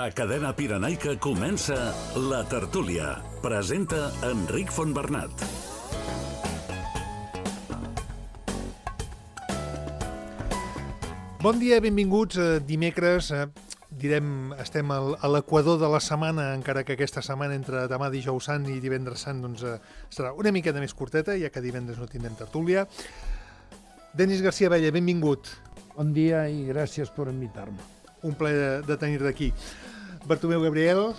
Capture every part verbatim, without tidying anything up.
A Cadena Pirenaica comença La Tertúlia. Presenta Enric Fontbernat. Bon dia, benvinguts. Dimecres, direm, estem a l'equador de la setmana, encara que aquesta setmana entre demà dijous sant i divendres sant doncs, serà una miqueta més curteta, ja que divendres no tindrem tertúlia. Denis García Abella, benvingut. Bon dia i gràcies per invitar-me. Un plaer de tenir-te aquí. Bartomeu Gabriel.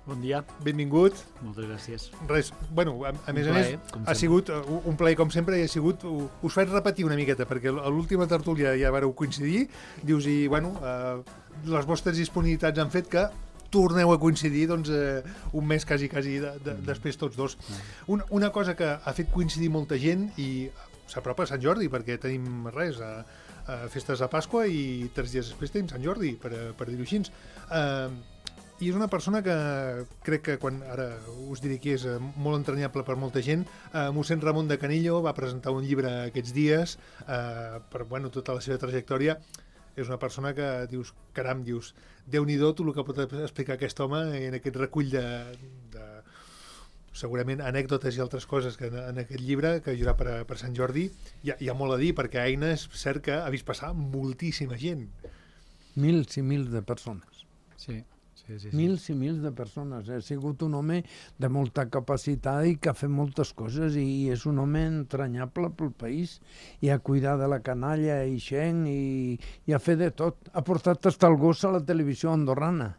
Bon dia. Benvingut. Moltes gràcies. Res, bueno, a, a més a més, ha sigut un plaer com sempre i ha sigut, us faig repetir una miqueta, perquè a l'última tertúlia ja vareu coincidir, dius, i bueno, eh, les vostres disponibilitats han fet que torneu a coincidir doncs, eh, un mes quasi, quasi de, de, després tots dos. Una, una cosa que ha fet coincidir molta gent i s'apropa a Sant Jordi, perquè tenim res, a, a festes de Pasqua i tres dies després tenim Sant Jordi, per, per dir-ho així. Eh, I és una persona que crec que, quan ara us diré qui és, molt entranyable per molta gent. Eh, mossèn Ramon de Canillo va presentar un llibre aquests dies eh, per bueno, tota la seva trajectòria. És una persona que dius, caram, dius, Déu-n'hi-do tot el que pot explicar aquest home en aquest recull de, de segurament anècdotes i altres coses que en, en aquest llibre que hi haurà per, per Sant Jordi. Hi ha, hi ha molt a dir, perquè Aina és cert que ha vist passar moltíssima gent. Mils i mils de persones. Sí. Sí, sí, sí. Mils i mils de persones. Ha sigut un home de molta capacitat i que ha fet moltes coses i és un home entranyable pel país i ha cuidat de la canalla i gent i, i ha fet de tot. Ha portat hasta el gos a la televisió andorrana.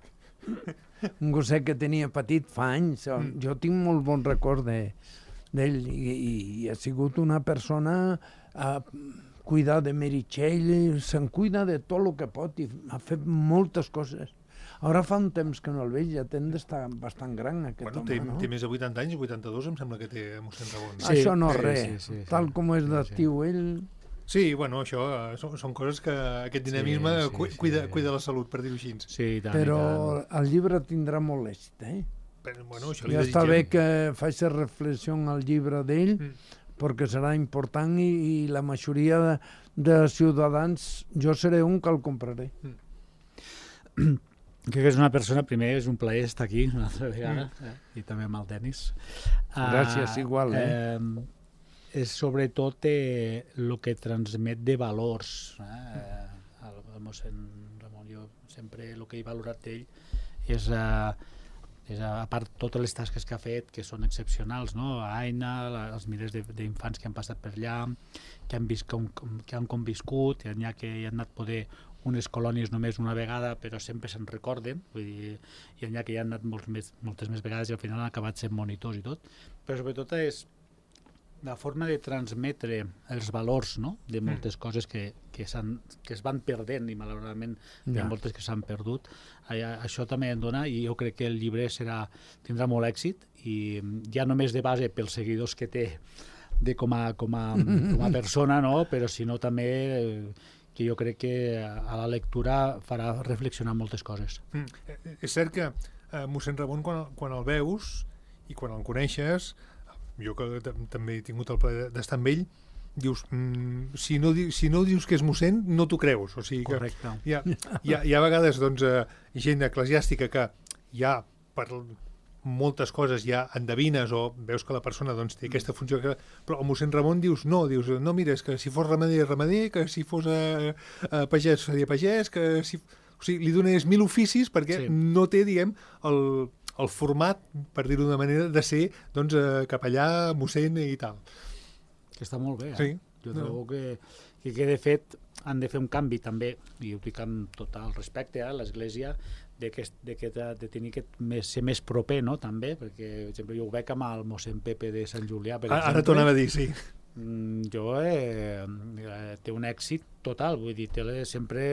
Un gosset que tenia petit fa anys. Mm. Jo tinc molt bon record d'ell i, i, i ha sigut una persona a cuidar de Meritxell, se'n cuida de tot el que pot i ha fet moltes coses. Ara fa un temps que no el veig, ja ten d'estar bastant gran aquest bueno, home, té, no? Té més de vuitanta anys, vuitanta-dos em sembla que té mossèn Ramon. Sí, això no és sí, res, sí, sí, sí, tal com és d'actiu sí, sí. ell... Sí, bueno, això són, són coses que aquest dinamisme sí, sí, cuida, sí. cuida la salut, per dir-ho així. Sí, i tant, Però i tant. el llibre tindrà molt èxit, eh? Però, bueno, això li Ja està desitgem. bé que faci reflexió al llibre d'ell, mm. perquè serà important i, i la majoria de, de ciutadans, jo seré un que el compraré. Mm. Crec que és una persona, primer és un plaer estar aquí una altra vegada, mm. eh? I també amb el Denis. Gràcies, uh, igual, eh? eh? És sobretot el eh, que transmet de valors. Eh? Mm. El, el mossèn Ramon, jo sempre el que he valorat d'ell és, eh, és, a part, totes les tasques que ha fet, que són excepcionals, no? A Aina, la, els milers d'infants que han passat per allà, que han, vist com, com, que han conviscut, que n'hi ha que hi han anat poder unes colònies només una vegada, però sempre se'n recorden, vull dir, i n'hi ha que hi han anat molts més, moltes més vegades i al final han acabat sent monitors i tot, però sobretot és la forma de transmetre els valors, no?, de moltes mm. coses que, que, que es van perdent i malauradament hi ha moltes que s'han perdut. Això també en dona i jo crec que el llibre serà, tindrà molt èxit i ja només de base pels seguidors que té de com a, com a, com a persona, no?, però sinó també que jo crec que a la lectura farà reflexionar moltes coses. Mm. És cert que eh, mossèn Ramon, quan, quan el veus i quan el coneixes, jo que també he tingut el plaer d'estar amb ell, dius, mm, si, no, si no dius que és mossèn, no t'ho creus. O sigui que correcte. Hi ha, hi ha, hi ha a vegades doncs, eh, gent eclesiàstica que ja per moltes coses ja endevines o veus que la persona doncs, té aquesta funció, que... però el mossèn Ramon dius no, dius, no, mira, és que si fos ramader, ramader, que si fos eh, eh, pagès, seria pagès, que si... O sigui, li dones mil oficis perquè sí. no té, diguem, el, el format, per dir-ho d'una manera, de ser doncs, eh, capellà, mossèn i tal. Que està molt bé, eh? Sí. Jo trobo no. que, que, que, de fet, han de fer un canvi també, i ho dic amb tot el respecte a eh, l'Església, de, que, de, que, de tenir que més, ser més proper, no?, també, perquè, per exemple, jo ho veig amb el mossèn Pepe de Sant Julià, per exemple. Ara t'ho anava a dir, sí. Mm, jo, eh, té un èxit total, vull dir, té les, sempre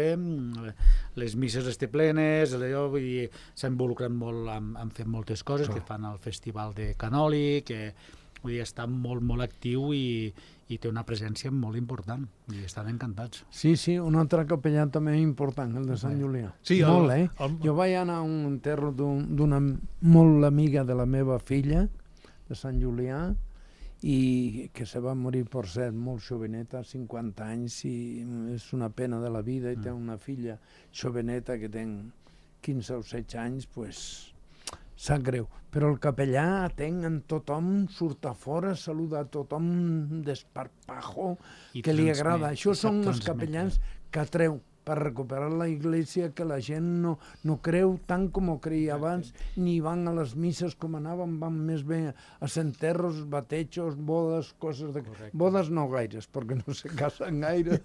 les misses les té plenes, vull dir, s'ha involucrat molt en, en fer moltes coses, oh. que fan el festival de Canoli, que vull dir, està molt, molt actiu i, i té una presència molt important i estan encantats. Sí, sí, un altre capellà també important, el de Sant Julià. Sí, molt, el, eh? El... Jo vaig anar a un enterro d'una un, molt amiga de la meva filla, de Sant Julià, i que se va morir, per cert, molt joveneta, cinquanta anys, i és una pena de la vida, i té una filla joveneta que ten quinze o setze anys, pues, sap greu. Però el capellà atén en tothom, surt a fora, saluda a tothom desparpajo, que li agrada. Això són els capellans que atreu per recuperar la iglesia, que la gent no, no creu tant com ho creia abans, ni van a les misses com anaven, van més bé a centerros, batejos, bodes, coses de... Correcte. Bodes no gaires, perquè no se casen gaire.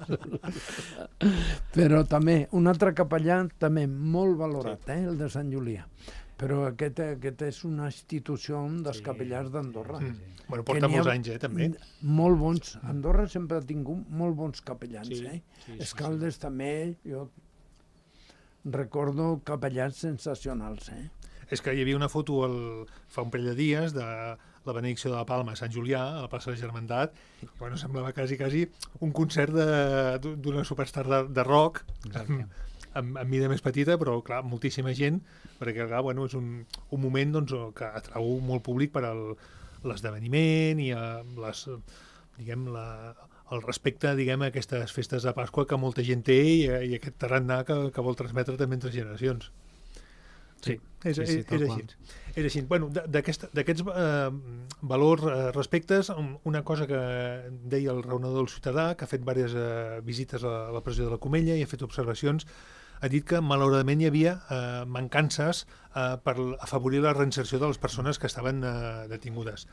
Però també, un altre capellà també molt valorat, sí. eh, el de Sant Julià. Però aquest, aquest és una institució dels sí. capellars d'Andorra. Sí, sí. Bueno, porta molts anys, eh, també. Molt bons. Andorra sempre ha tingut molt bons capellans, sí, eh? Sí, sí, Escaldes sí. també, jo recordo capellans sensacionals, eh? És que hi havia una foto el, fa un parell de dies de la benedicció de la Palma a Sant Julià, a la plaça de la Germandat, i bueno, semblava quasi, quasi un concert d'una superstar de, de rock, amb, amb, amb mida més petita, però clar, moltíssima gent, perquè clar, bueno, és un, un moment doncs, que atrau molt públic per l'esdeveniment i a les, diguem, la, el respecte diguem, a aquestes festes de Pasqua que molta gent té i, i aquest tarannà que, que vol transmetre també entre generacions. Sí, és, sí, sí, és, és així. És així. Bueno, d'aquests eh, valors, eh, respectes, una cosa que deia el raonador del Ciutadà, que ha fet diverses eh, visites a la presó de la Comella i ha fet observacions, ha dit que malauradament hi havia eh, mancances eh, per afavorir la reinserció de les persones que estaven eh, detingudes.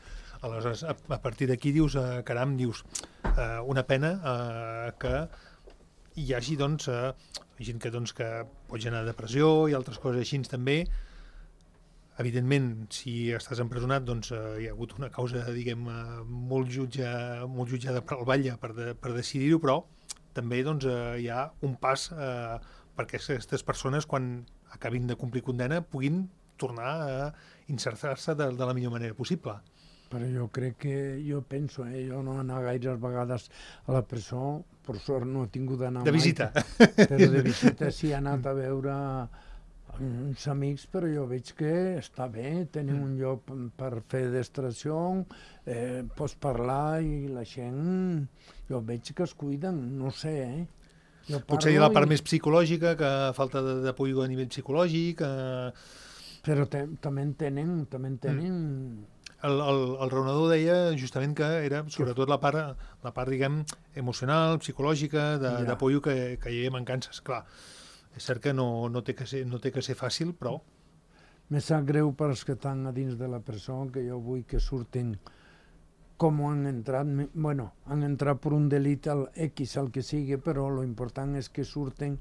Aleshores, a, a partir d'aquí dius, eh, caram, dius, eh, una pena eh, que hi hagi, doncs, eh, gent que, doncs, que pot generar depressió i altres coses així també. Evidentment, si estàs empresonat, doncs eh, hi ha hagut una causa, diguem, eh, molt, jutja, molt jutjada per al batlle per, de, per decidir-ho, però també doncs, eh, hi ha un pas eh, perquè aquestes persones, quan acabin de complir condena, puguin tornar a insertar-se de, de la millor manera possible. Però jo crec que, jo penso, eh, jo no he anat gaires vegades a la presó, per sort no he tingut d'anar mai. De visita. Però de visita sí he anat a veure uns amics, però jo veig que està bé, tenim un lloc per fer distracció, eh, pots parlar i la gent, jo veig que es cuiden, no sé, eh? Potser hi ha la part i... més psicològica, que falta d'apoi a nivell psicològic... Eh... Però te, també en tenen, també en tenen... Mm. El, el, el raonador deia justament que era sobretot la part, la part diguem, emocional, psicològica, d'apoi ja. que, que hi havia mancances. Clar, és cert que no, no, té que ser, no té que ser fàcil, però... Me sap greu per als que estan a dins de la presó, que jo vull que surtin com han entrat, bueno, han entrat per un delit al X, el que sigui, però lo important és que surten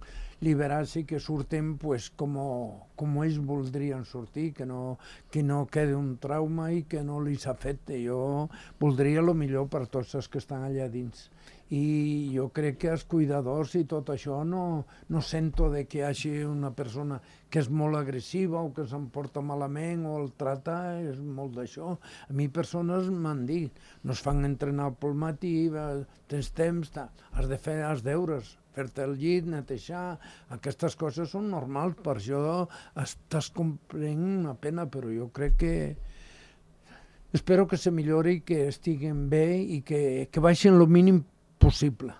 liberats i que surten pues, com, com ells voldrien sortir, que no, que no quedi un trauma i que no li s'afecte. Jo voldria el millor per tots els que estan allà dins. I jo crec que els cuidadors i tot això no, no sento de que hi hagi una persona que és molt agressiva o que s'emporta malament o el trata, és molt d'això. A mi persones m'han dit, no es fan entrenar pel matí, tens temps, has de fer els deures, fer-te el llit, netejar, aquestes coses són normals, per això estàs comprant una pena, però jo crec que espero que se millori, que estiguen bé i que, que baixin el mínim possible.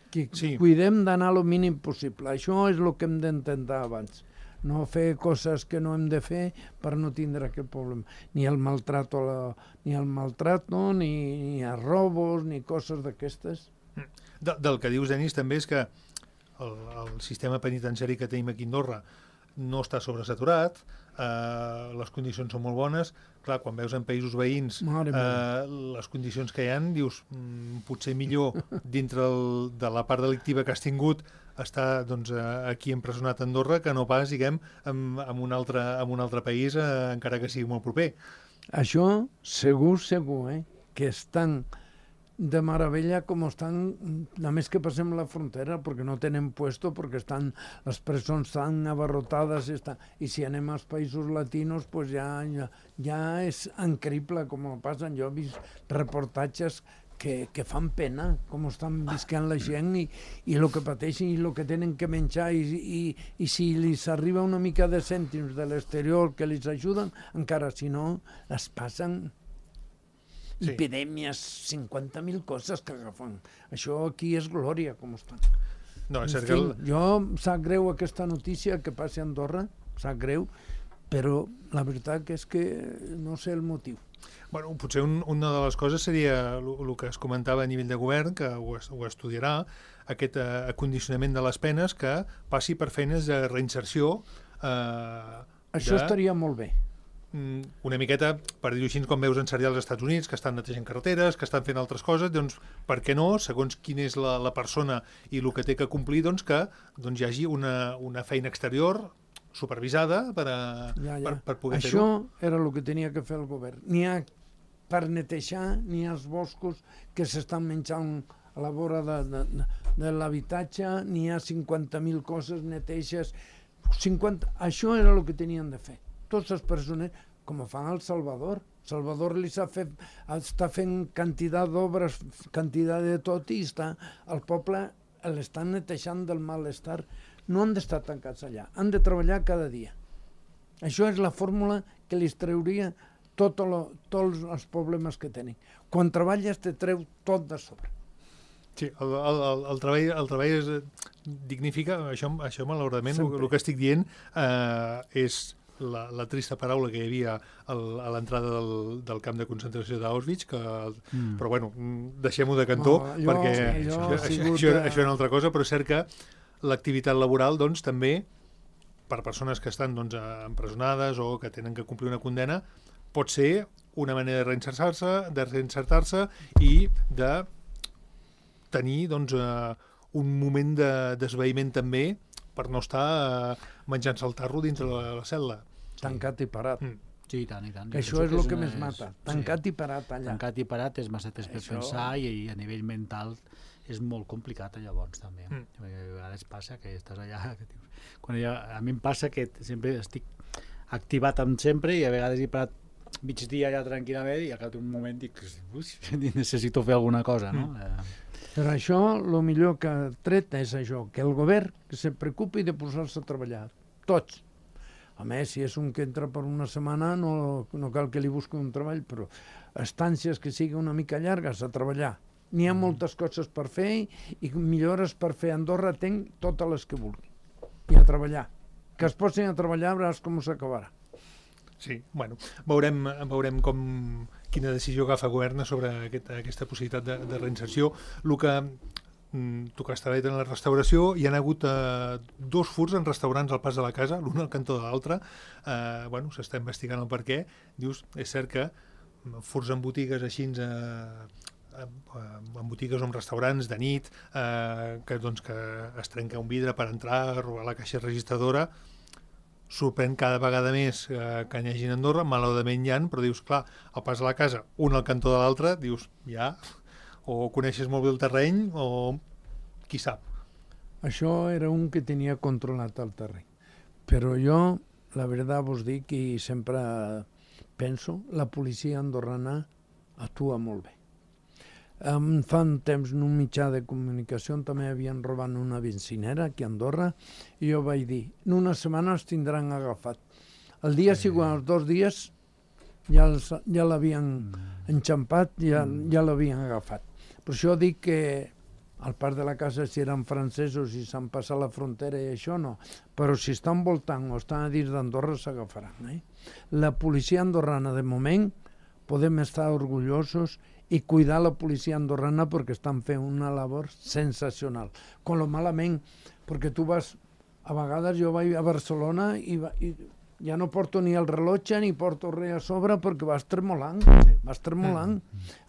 Que sí. Cuidem d'anar el mínim possible. Això és el que hem d'intentar abans. No fer coses que no hem de fer per no tindre aquest problema. Ni el maltrato, la, ni el maltrato, ni, ni els robos, ni coses d'aquestes. De, del que dius, Denis, també és que el, el sistema penitenciari que tenim aquí a Andorra no està sobresaturat, eh, les condicions són molt bones. Clar, quan veus en països veïns eh, les condicions que hi ha, dius, mm, potser millor dintre el, de la part delictiva que has tingut estar doncs, aquí empresonat a Andorra que no pas, diguem, en, en, un, altre, en un altre país, eh, encara que sigui molt proper. Això segur, segur, eh? Que estan de meravella com estan, només que passem la frontera, perquè no tenen puesto, perquè estan, les presons estan abarrotades, i, estan, i si anem als països latinos, pues ja, ja, ja és increïble com passen. Jo he vist reportatges que, que fan pena, com estan visquant la gent i, i el que pateixen i el que tenen que menjar, i, i, i si els arriba una mica de cèntims de l'exterior que els ajuden, encara si no, les passen... Sí. Epidèmies, cinquanta mil coses que agafen. Això aquí és glòria, com estan. No, és en fi, el... Jo em sap greu aquesta notícia que passi a Andorra, sap greu, però la veritat que és que no sé el motiu. Bueno, potser un, una de les coses seria el que es comentava a nivell de govern, que ho, ho estudiarà, aquest eh, acondicionament de les penes que passi per feines de reinserció. Eh, Això de, estaria molt bé. Una miqueta, per dir-ho així, com veus en serial als Estats Units, que estan netejant carreteres, que estan fent altres coses, doncs, per què no, segons quina és la, la persona i el que té que complir, doncs, que doncs, hi hagi una, una feina exterior supervisada per, a, ja, ja. per, per poder Això fer-ho. Això era el que tenia que fer el govern. N'hi ha per netejar, n'hi ha els boscos que s'estan menjant a la vora de, de, de l'habitatge, n'hi ha cinquanta mil coses, neteges... cinquanta... Això era el que tenien de fer. Tots els persones, com ho fan al Salvador. Salvador li s'ha fet, està fent quantitat d'obres, quantitat de tot, i està, el poble l'estan netejant del malestar. No han d'estar tancats allà, han de treballar cada dia. Això és la fórmula que li trauria tot lo, tots els problemes que tenen. Quan treballes te treu tot de sobre. Sí, el, el, el, el, treball, el treball es dignifica, això, això malauradament, el, el que estic dient eh, és la, la trista paraula que hi havia al, a l'entrada del, del camp de concentració d'Auschwitz, que, mm. però bueno, deixem-ho de cantó, no, allò, perquè allò, això, això, això, això és una altra cosa, però és cert que l'activitat laboral, doncs, també, per persones que estan doncs, empresonades o que tenen que complir una condena, pot ser una manera de reinsertar-se, de reinsertar-se i de tenir doncs, uh, un moment de, d'esvaïment també per no estar uh, menjant-se el tarro dins de la, la cel·la. Tancat i parat. Mm. Sí, i tant, i tant. Que això és el que, que més mata. Tancat sí. i parat allà. Tancat i parat és massa temps per això... pensar i, i a nivell mental és molt complicat llavors també. Mm. A vegades passa que estàs allà... Que dius, quan ja, a mi em passa que sempre estic activat amb sempre i a vegades he parat migdia allà tranquil·lament i a cap un moment dic, necessito fer alguna cosa, no? Mm. Per això, el millor que ha tret és això, que el govern que se preocupi de posar-se a treballar. Tots. A més, si és un que entra per una setmana, no, no cal que li busqui un treball, però estàncies que sigui una mica llargues a treballar. N'hi ha moltes coses per fer i millores per fer. Andorra tenc totes les que vulgui. I a treballar. Que es posin a treballar, veuràs com s'acabarà. Sí, bueno, veurem, veurem com, quina decisió agafa el govern sobre aquest, aquesta possibilitat de, de reinserció. El que mm, tu que has treballat en la restauració, hi ha hagut eh, dos furts en restaurants al pas de la casa, l'un al cantó de l'altre. Eh, bueno, s'està investigant el perquè. Dius, és cert que furts en botigues així, eh, en botigues o en restaurants de nit, eh, que, doncs, que es trenca un vidre per entrar, robar la caixa registradora. Sorprèn cada vegada més eh, que n'hi hagi a Andorra, malauradament hi ha, però dius, clar, al pas de la casa, un al cantó de l'altre, dius, ja, o coneixes molt bé el terreny, o qui sap. Això era un que tenia controlat el terreny. Però jo, la veritat vos dic, i sempre penso, la policia andorrana actua molt bé. Um, fa un temps en un mitjà de comunicació també havien robat una benzinera aquí a Andorra i jo vaig dir, en una setmana els tindran agafat. El dia sí. següent, els dos dies, ja, els, ja l'havien enxampat, ja, ja l'havien agafat. Per això dic que al part de la casa si eren francesos i s'han passat la frontera i això no, però si estan voltant o estan a dins d'Andorra s'agafaran. Eh? La policia andorrana de moment podem estar orgullosos i cuidar la policia andorrana perquè estan fent una labor sensacional. Con lo malament, perquè tu vas, a vegades jo vaig a Barcelona i, va, i ja no porto ni el rellotge ni porto res a sobre perquè vas tremolant, sí. vas tremolant.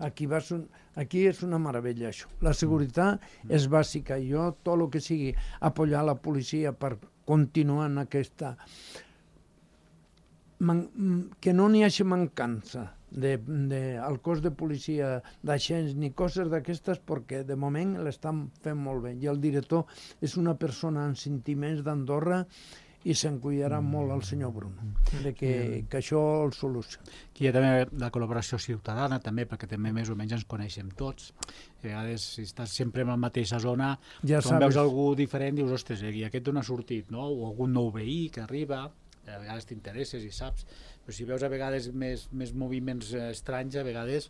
Aquí, vas un, aquí és una meravella això. La seguretat és bàsica i jo tot el que sigui apoyar la policia per continuar en aquesta... Man, que no n'hi hagi mancança de, de, al cos de policia d'agents ni coses d'aquestes perquè de moment l'estan fent molt bé i el director és una persona amb sentiments d'Andorra i se'n cuidarà mm. molt el senyor Bruno de que, mm. que això el solucioni. Aquí hi ha també la col·laboració ciutadana també perquè també més o menys ens coneixem tots. A vegades si estàs sempre en la mateixa zona ja quan veus algú diferent dius ostres, i aquest on ha sortit, no? O algun nou veí que arriba, a vegades t'interesses i saps, però si veus a vegades més, més moviments estranys a vegades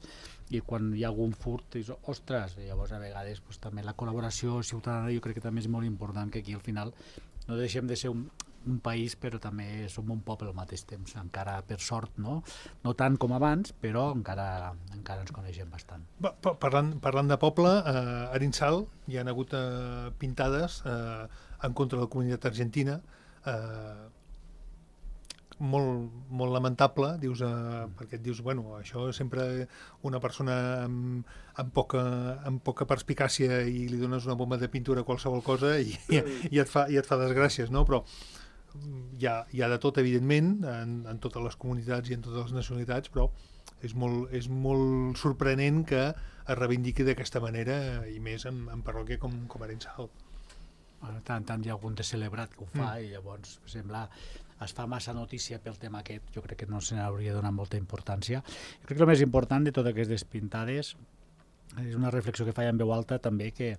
i quan hi ha algun furt dius, ostres, i llavors a vegades pues, també la col·laboració ciutadana jo crec que també és molt important que aquí al final no deixem de ser un, un país, però també som un poble al mateix temps, encara per sort, no? No tant com abans, però encara, encara ens coneixem bastant. Pa pa parlant, parlant de poble, eh, a Arinsal hi ha hagut eh, pintades eh, en contra de la comunitat argentina, eh, molt, molt lamentable, dius, eh, perquè et dius, bueno, això sempre una persona amb, amb, poca, amb poca perspicàcia i li dones una bomba de pintura a qualsevol cosa i, i, i, et, fa, i et fa desgràcies, no? Però hi ha, hi ha de tot, evidentment, en, en totes les comunitats i en totes les nacionalitats, però és molt, és molt sorprenent que es reivindiqui d'aquesta manera, i més en, en parròquia com, com Arinsal. Tant, tant hi ha algun de celebrat que ho fa, mm. i llavors sembla es fa massa notícia pel tema aquest. Jo crec que no se n'hauria donat molta importància. Jo crec que el més important de totes aquestes pintades és una reflexió que faig en veu alta també, que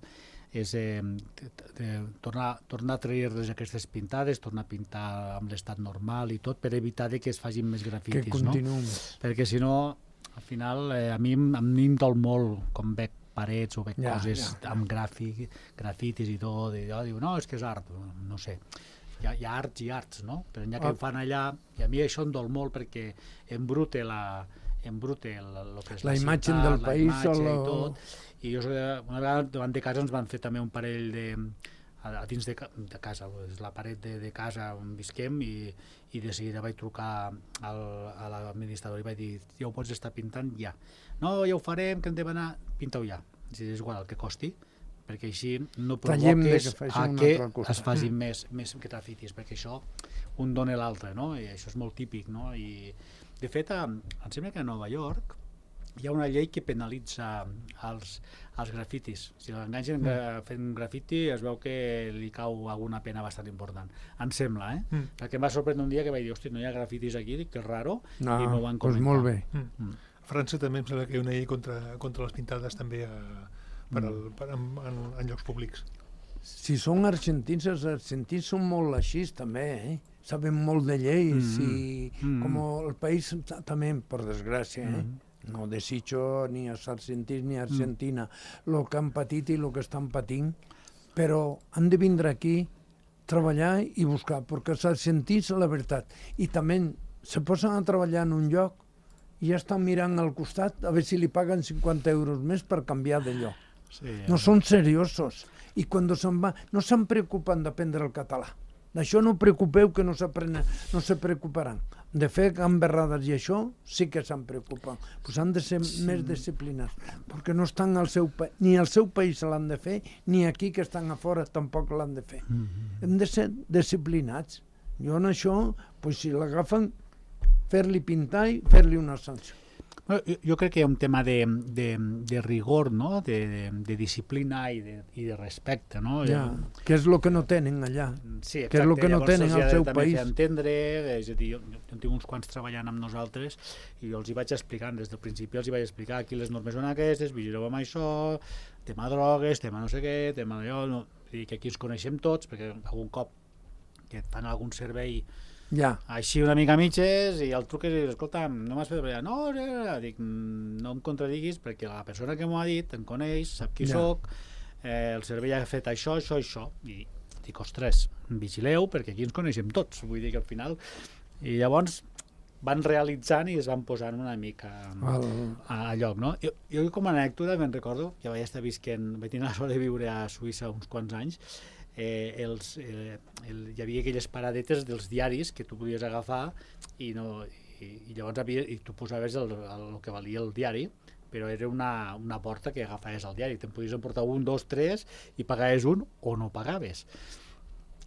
és eh, de, de, tornar, tornar a trair-les aquestes pintades, tornar a pintar amb l'estat normal i tot, per evitar de que es facin més grafitis, que no? Perquè si no, al final, eh, a mi, a mi em dol molt com veig parets o veig ja, coses ja, amb gràfic, grafitis i tot, i jo diu, no, és que és art, no sé. Hi ha, hi ha arts i arts, no? Però n'hi ha que oh. fan allà, i a mi això em dol molt perquè embrute la, embrute el, el que és la, la imatge ciutat, del la país imatge o i tot. I jo una vegada davant de casa ens van fer també un parell de a, a dins de, de casa, és la paret de, de casa on visquem, i, i de seguida vaig trucar al, a l'administrador i vaig dir, ja ho pots estar pintant ja. No, ja ho farem, que hem de anar, pinta-ho ja. És igual el que costi, perquè així no provoques que a que es facin més, més grafitis, perquè això un dona l'altre, no? I això és molt típic, no? I de fet, em sembla que a Nova York hi ha una llei que penalitza els, els grafitis. Si l'enganxen mm. fent grafiti es veu que li cau alguna pena bastant important. Em sembla, eh? Mm. El que em va sorprendre un dia que vaig dir, hosti, no hi ha grafitis aquí, que és raro, no, i m'ho van comentar. Doncs molt bé. Mm. Mm. A França també em sembla que hi ha una llei contra, contra les pintades també a Per al, per, en, en, en llocs públics. Si són argentins, els argentins són molt així també, eh? Saben molt de lleis, mm. i mm. com el país també, per desgràcia, eh? Mm. No desitjo ni als argentins ni a Argentina el mm. que han patit i el que estan patint, però han de vindre aquí, treballar i buscar, perquè els argentins, la veritat, i també se posen a treballar en un lloc i ja estan mirant al costat a veure si li paguen cinquanta euros més per canviar de lloc. Sí, no eh? Són seriosos, i quan se'n va no se'n preocupen d'aprendre el català. D'això no preocupeu, que no s'aprenen, no se preocuparan. De fer gamberrades i això sí que se'n preocupen. Pues han de ser sí. més disciplinats, perquè no estan al seu país, ni al seu país l'han de fer, ni aquí que estan a fora tampoc l'han de fer. Mm-hmm. Hem de ser disciplinats. Jo en això, pues, si l'agafen, fer-li pintar i fer-li una sanció. Jo, jo crec que hi ha un tema de, de, de rigor, no? de, de, de disciplina i de, i de respecte. No? Ja, que és el que no tenen allà, sí, exacte, que és el que no tenen al seu país. Entendre, és a dir, jo, jo tinc uns quants treballant amb nosaltres i jo els hi vaig explicant, des del principi els hi vaig explicar, aquí les normes són aquestes, vigileu amb això, tema drogues, tema no sé què, tema allò, no? I que aquí ens coneixem tots, perquè algun cop que et fan algun servei ja. Així una mica mitges, i el truc és, escolta, no m'has fet treballar, no, no, dic, no em contradiguis perquè la persona que m'ho ha dit em coneix, sap qui ja. soc, eh, el servei ha fet això, això, això, i dic, ostres, vigileu perquè aquí ens coneixem tots, vull dir que al final, i llavors van realitzant i es van posant una mica a, a lloc, no? Jo, jo com a anècdota me'n recordo, ja vaig estar visquent, vaig tenir la sort de viure a Suïssa uns quants anys, Eh, els, eh, el, hi havia aquelles paradetes dels diaris que tu podies agafar i, no, i, i llavors havia, i tu posaves el, el, el que valia el diari, però era una, una porta que agafaves el diari, te'n podies emportar un, dos, tres i pagaves un o no pagaves.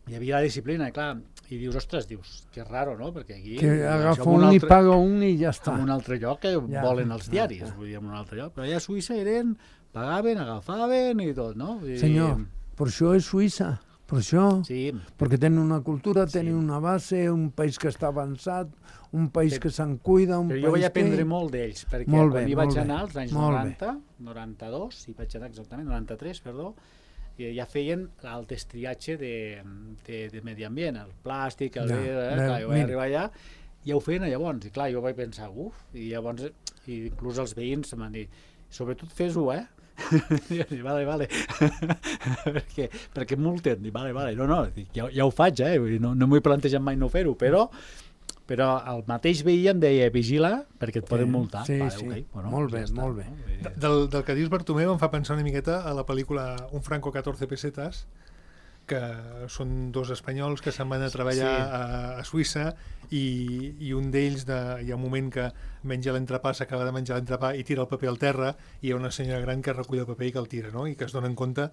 Hi havia la disciplina, i clar, i dius, ostres, dius, que raro, no? Perquè aquí... Que agafa un, un altre, i paga un i ja està. En un altre lloc que ja, volen els diaris, ja, ja. vull dir, en un altre lloc, però allà a Suïssa eren, pagaven, agafaven i tot, no? I, senyor, per això és Suïssa, per això, sí. perquè tenen una cultura, tenen sí. una base, un país que està avançat, un país però, que se'n cuida, un però país jo vaig aprendre que... molt d'ells, perquè molt quan bé, hi vaig bé, anar, als anys noranta, noranta-dos, hi vaig anar exactament, noranta-tres, perdó, i ja feien el destriatge de, de, de medi ambient, el plàstic, el ja, vidre, eh, clar, jo vaig arribar allà, ja ho feien llavors, i clar, jo vaig pensar, uf, i llavors, i inclús els veïns em van dir, sobretot fes-ho, eh? vale, vale. perquè, perquè multen. Vale, vale. No, no, ja, ja ho faig, eh? No, no m'ho he plantejat mai no fer-ho, però però el mateix veí em deia vigila perquè et poden multar. Sí, vale, sí. Okay. Bueno, molt bé, ja molt bé. No? Del, del que dius, Bartomeu, em fa pensar una miqueta a la pel·lícula Un franco catorze pesetas, que són dos espanyols que se'n van a treballar sí. a, a Suïssa i, i un d'ells de, hi ha un moment que menja l'entrepà, s'acaba de menjar l'entrepà i tira el paper al terra i hi ha una senyora gran que recull el paper i que el tira, no? I que es donen compte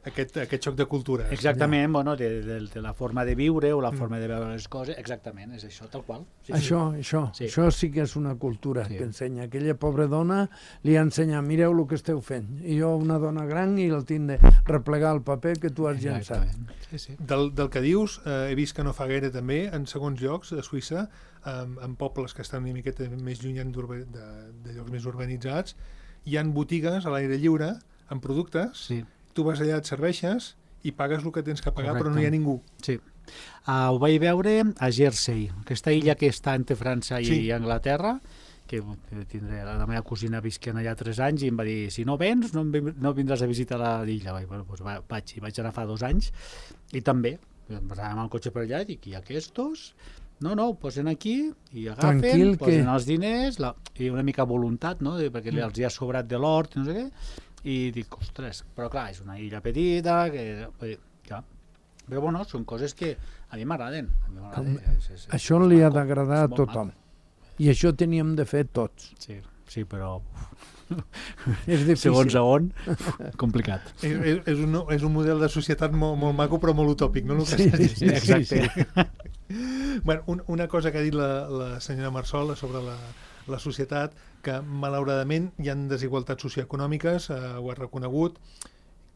aquest, aquest xoc de cultures. Exactament, ja. bueno, de, de, de la forma de viure o la mm. forma de veure les coses, exactament, és això, tal qual. Sí, això, sí. Això, sí. això sí que és una cultura sí. que ensenya. Aquella pobra dona li ensenya, mireu el que esteu fent. I jo, una dona gran, i el tinc de replegar el paper que tu has llançat. Sí, sí. Del, del que dius, eh, he vist que no fa gaire també, en segons llocs de Suïssa, eh, en pobles que estan una miqueta més lluny de, de llocs més urbanitzats, hi han botigues a l'aire lliure amb productes. Sí. Tu vas allà, et serveixes i pagues el que tens que pagar, correcte. Però no hi ha ningú. Sí. Uh, ho vaig veure a Jersey, aquesta illa que està entre França i, sí. i Anglaterra, que tindré, la meva cosina visquent allà tres anys i em va dir, si no vens, no, no vindràs a visitar l'illa. Bueno, doncs vaig, vaig anar fa dos anys i també, anàvem al cotxe per allà i dic, i aquestos... No, no, ho posen aquí i agafen, tranquil, posen que... els diners la, i una mica voluntat, no? perquè mm. els hi ha sobrat de l'hort, no sé què, i dic, ostres, però clar, és una illa petita, que, clar. Però bueno, són coses que a mi m'agraden. Això li ha d'agradar a tothom. I això teníem de fer tots. Sí, sí, però... és difícil. Segons a on, complicat. És, és, és, un, és un model de societat molt, molt maco, però molt utòpic, no? Sí, sí, sí, exacte. Sí, sí. Bueno, un, una cosa que ha dit la, la senyora Marsol sobre la, la societat, que malauradament hi ha desigualtats socioeconòmiques, eh, ho ha reconegut,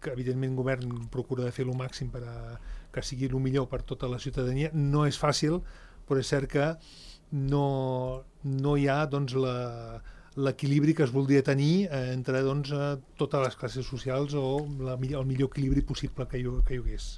que evidentment el govern procura de fer el màxim per a que sigui el millor per tota la ciutadania. No és fàcil, però és cert que no, no hi ha doncs, la, l'equilibri que es voldria tenir eh, entre doncs, eh, totes les classes socials o la, el millor equilibri possible que hi, que hi hagués.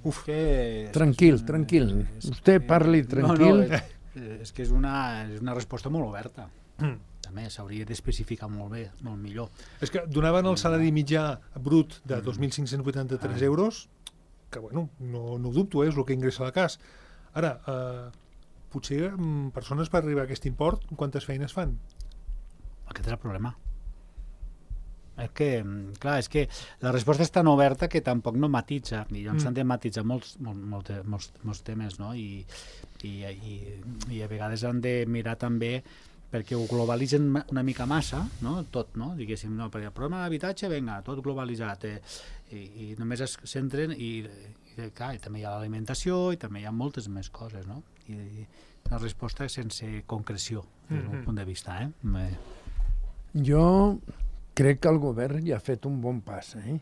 Uf. Que... Tranquil, tranquil. És, Vostè parli tranquil. No, no, és que és una, és una resposta molt oberta. Mm. També s'hauria d'especificar molt bé, molt millor. És que donaven el salari mitjà brut de dos mil cinc-cents vuitanta-tres ah. euros, que bueno, no, no ho dubto, eh, és el que ingressa a la cas. Ara, eh, potser mm, persones per arribar a aquest import, quantes feines fan? Aquest és el problema. És que, clar, és que la resposta és tan oberta que tampoc no matitza, i llavors s'han mm. de matitzar molts, molt, molt, molts, molts temes, no? I, i, i, i a vegades han de mirar també perquè ho globalitzen una mica massa, no? Tot, no? Diguéssim, no, perquè el problema de l'habitatge, vinga, tot globalitzat, eh? I, i només es centren, i, i clar, i també hi ha l'alimentació, i també hi ha moltes més coses, no? I, i la resposta és sense concreció, des del mm-hmm. punt de vista, eh? Me... Jo... crec que el govern ja ha fet un bon pas, eh?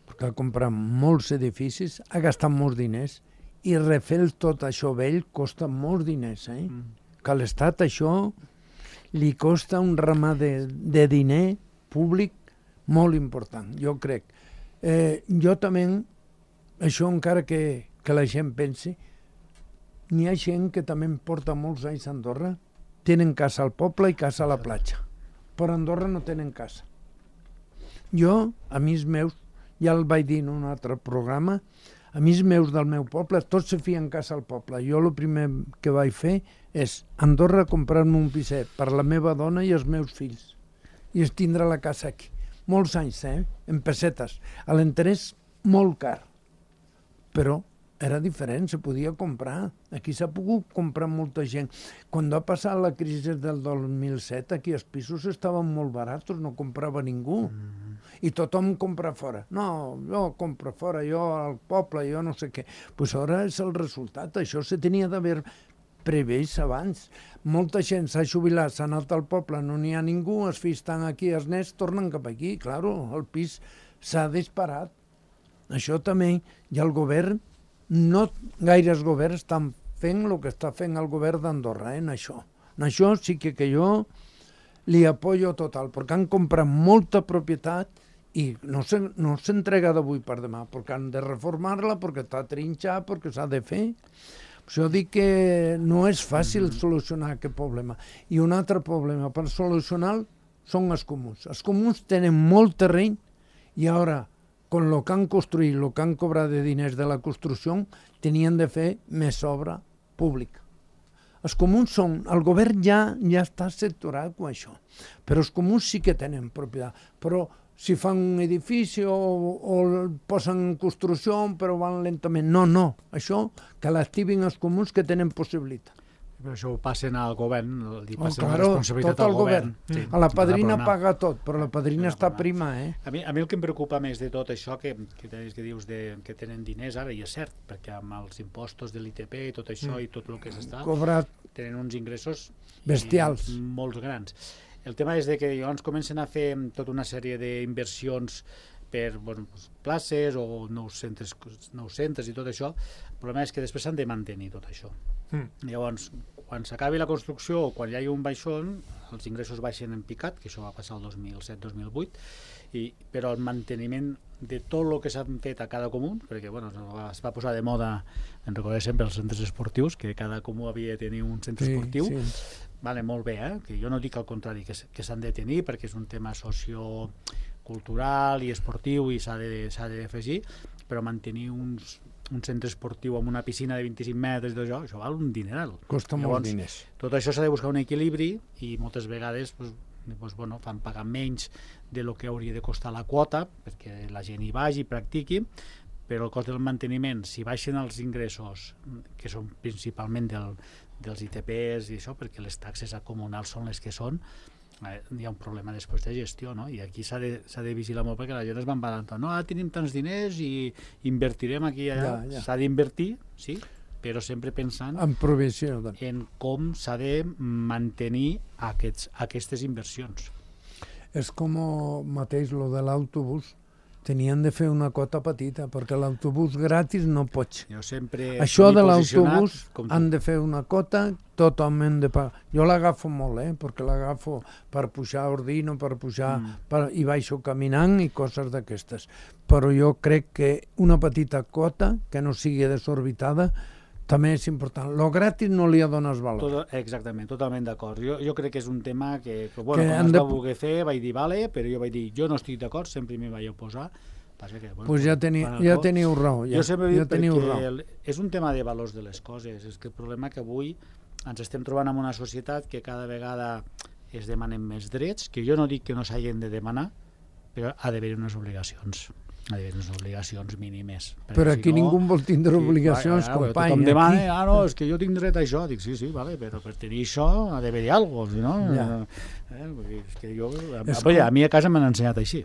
Perquè ha comprat molts edificis, ha gastat molts diners, i refer tot això vell costa molts diners, eh? Mm. Que a l'Estat això li costa un ramar de, de diner públic molt important, jo crec. Eh, jo també, això encara que, que la gent pensi, n'hi ha gent que també porta molts anys a Andorra, tenen casa al poble i casa a la platja, però a Andorra no tenen casa. Jo, amics meus, ja el vaig dir en un altre programa, amics meus del meu poble, tots se fien casa al poble. Jo el primer que vaig fer és a Andorra comprar-me un piset per la meva dona i els meus fills. I es tindrà la casa aquí. Molts anys, eh? En pessetes. A l'interès molt car. Però era diferent, se podia comprar. Aquí s'ha pogut comprar molta gent. Quan va passar la crisi del dos mil set, aquí els pisos estaven molt barats, no comprava ningú. Mm. I tothom compra fora. No, jo compro fora, jo al poble, jo no sé què. Pues ara és el resultat. Això se tenia d'haver previst abans. Molta gent s'ha jubilat, s'ha anat al poble, no n'hi ha ningú, els fills estan aquí, els nets tornen cap aquí. Claro, el pis s'ha disparat. Això també, i el govern, no gaires governs estan fent el que està fent el govern d'Andorra, eh, en això. En això sí que, que jo li apoyo total, perquè han comprat molta propietat i no s'entrega no d'avui per demà, perquè han de reformar-la, perquè està trinxada, perquè s'ha de fer. Això dic que no és fàcil solucionar aquest problema. I un altre problema per solucionar són els comuns. Els comuns tenen molt terreny i ara, con lo que han construït, lo que han cobrat de diners de la construcció, tenien de fer més obra pública. Els comuns són... El govern ja, ja està sectorat amb això, però els comuns sí que tenen propietat. Però si fan un edifici o, o el posen en construcció però van lentament. No, no. Això que l'activin els comuns que tenen possibilitat. Però això ho passen al govern, li passen oh, la claro, responsabilitat tot al el govern. govern. Sí, a la padrina la paga tot, però la padrina està prima, eh? A mi, a mi el que em preocupa més de tot això que, que, que dius de, que tenen diners ara, i és cert, perquè amb els impostos de l'I T P i tot això mm. i tot el que s'està, cobrat tenen uns ingressos bestials, i, molts grans. El tema és de que llavors comencen a fer tota una sèrie d'inversions per bueno, places o nous centres, nous centres i tot això. El problema és que després s'han de mantenir tot això. Mm. Llavors, quan s'acabi la construcció o quan hi hagi un baixón, els ingressos baixen en picat, que això va passar el dos mil set dos mil vuit, i, però el manteniment de tot el que s'han fet a cada comú, perquè bueno, es va posar de moda, en recordem sempre, els centres esportius, que cada comú havia de tenir un centre sí, esportiu, sí. Vale, molt bé, eh? Que jo no dic al contrari, que, que s'han de tenir perquè és un tema sociocultural i esportiu i s'ha d'afegir, però mantenir uns, un centre esportiu amb una piscina de vint-i-cinc metres, això, això val un dineral. Costa molts diners. Tot això s'ha de buscar un equilibri i moltes vegades pues, pues, bueno, fan pagar menys de lo que hauria de costar la quota perquè la gent hi vagi i practiqui, però el cost del manteniment, si baixen els ingressos, que són principalment del dels I T Ps i això, perquè les taxes comunals són les que són, eh, hi ha un problema després de gestió, no? I aquí s'ha de, s'ha de vigilar molt perquè la gent es va embalant, no, ara tenim tants diners i invertirem aquí i allà. Ja, ja. S'ha d'invertir, sí, però sempre pensant en provisió, doncs. En com s'ha de mantenir aquests, aquestes inversions. És com mateix lo de l'autobús, tenien de fer una quota petita, perquè l'autobús gratis no pots. Jo sempre Això de l'autobús han de fer una quota totalment de pagar. Jo l'agafo molt, eh? Perquè l'agafo per pujar a Ordino, per pujar, mm. per, i baixo caminant i coses d'aquestes. Però jo crec que una petita quota, que no sigui desorbitada, també és important. Lo gratis no li dones valor. Tot, exactament, totalment d'acord. Jo, jo crec que és un tema que, que bueno, que quan es va de... voler fer, vaig dir, vale, però jo vaig dir, jo no estic d'acord, sempre m'hi vaig oposar. Passa que, bueno, pues ja, teni, ja teniu raó. Ja, jo sempre ja dic perquè el, és un tema de valors de les coses. És que el problema que avui ens estem trobant en una societat que cada vegada es demanen més drets, que jo no dic que no s'hagin de demanar, però ha d'haver unes obligacions. Ha d'haver unes obligacions mínimes. Però aquí si no, ningú vol tindre obligacions, sí, company. Tothom demana, ah, no, és que jo tinc dret a això. Dic, sí, sí, vale, però per tenir això ha d'haver-hi alguna cosa, si no... Ja. Eh, és que jo, a, com... a mi a casa m'han ensenyat així.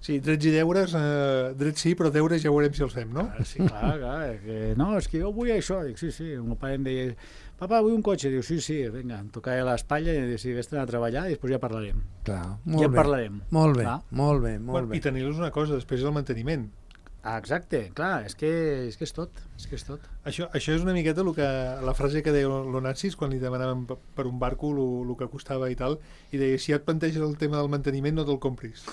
Sí, drets i deures, eh, drets sí, però deures ja veurem si els fem, no? Ah, sí, clar, clar. Que, no, és que jo vull això. Dic, sí, sí. El meu pare em deia, papa, vull un cotxe. Diu, sí, sí, vinga, em tocava l'espatlla i dic, sí, vés-te'n a treballar i després ja parlarem. Clar, molt ja bé. parlarem. Molt bé, clar? molt bé, molt bueno, bé. I tenir-los una cosa, després el manteniment. Ah, exacte, clar, és que és, que és tot, és que és tot. Això, això és una miqueta el que, la frase que deia l'Onassis quan li demanaven per un barco el que costava i tal, i deia, si ja et planteges el tema del manteniment no te'l compris.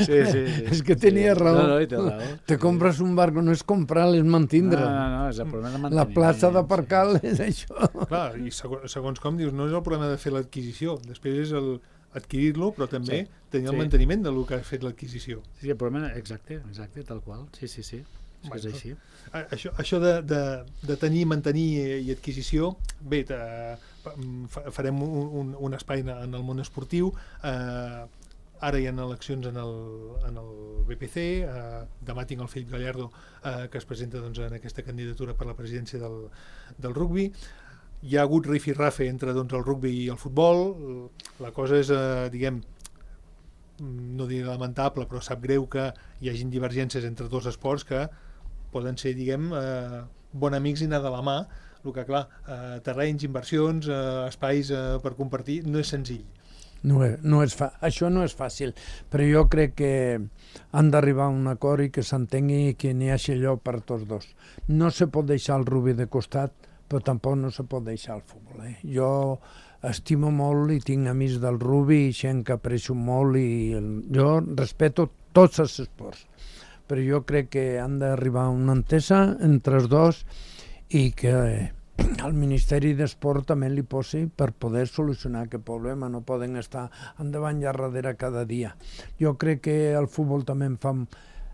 Sí, sí, sí. És que tenia sí. raó. No, no, te raó. Te compres un barco, no és comprar, és mantindre. No, no, no, és el problema de manteniment. La plaça d'aparcar sí. és això. Clar, i segons, segons com dius, no és el problema de fer l'adquisició, després és el adquirir-lo, però també sí. tenir el sí. manteniment del que ha fet l'adquisició. Sí, el problema, exacte, exacte, tal qual, sí, sí, sí, sí bueno, és així. Això, això de, de, de tenir, mantenir i adquisició, bé, te, farem un, un, un espai en el món esportiu, eh, ara hi ha eleccions en el, en el B P C, eh, demà tinc el Felip Gallardo eh, que es presenta doncs, en aquesta candidatura per la presidència del, del rugbi. Hi ha hagut rifirrafe entre doncs, el rugbi i el futbol. La cosa és, eh, diguem, no diré lamentable, però sap greu que hi hagin divergències entre dos esports que poden ser, diguem, eh, bon amics i anar de la mà. El que, clar, eh, terrenys, inversions, eh, espais eh, per compartir, no és senzill. No és, no és fa... Això no és fàcil, però jo crec que han d'arribar a un acord i que s'entengui que n'hi hagi lloc per tots dos. No se pot deixar el rugbi de costat, però tampoc no se pot deixar el futbol. Eh? Jo estimo molt i tinc amics del rugbi i gent que aprecio molt i el... jo respeto tots els esports, però jo crec que han d'arribar a una entesa entre els dos i que al Ministeri d'Esport també li posi per poder solucionar aquest problema. No poden estar endavant i a darrere cada dia. Jo crec que el futbol també en fa...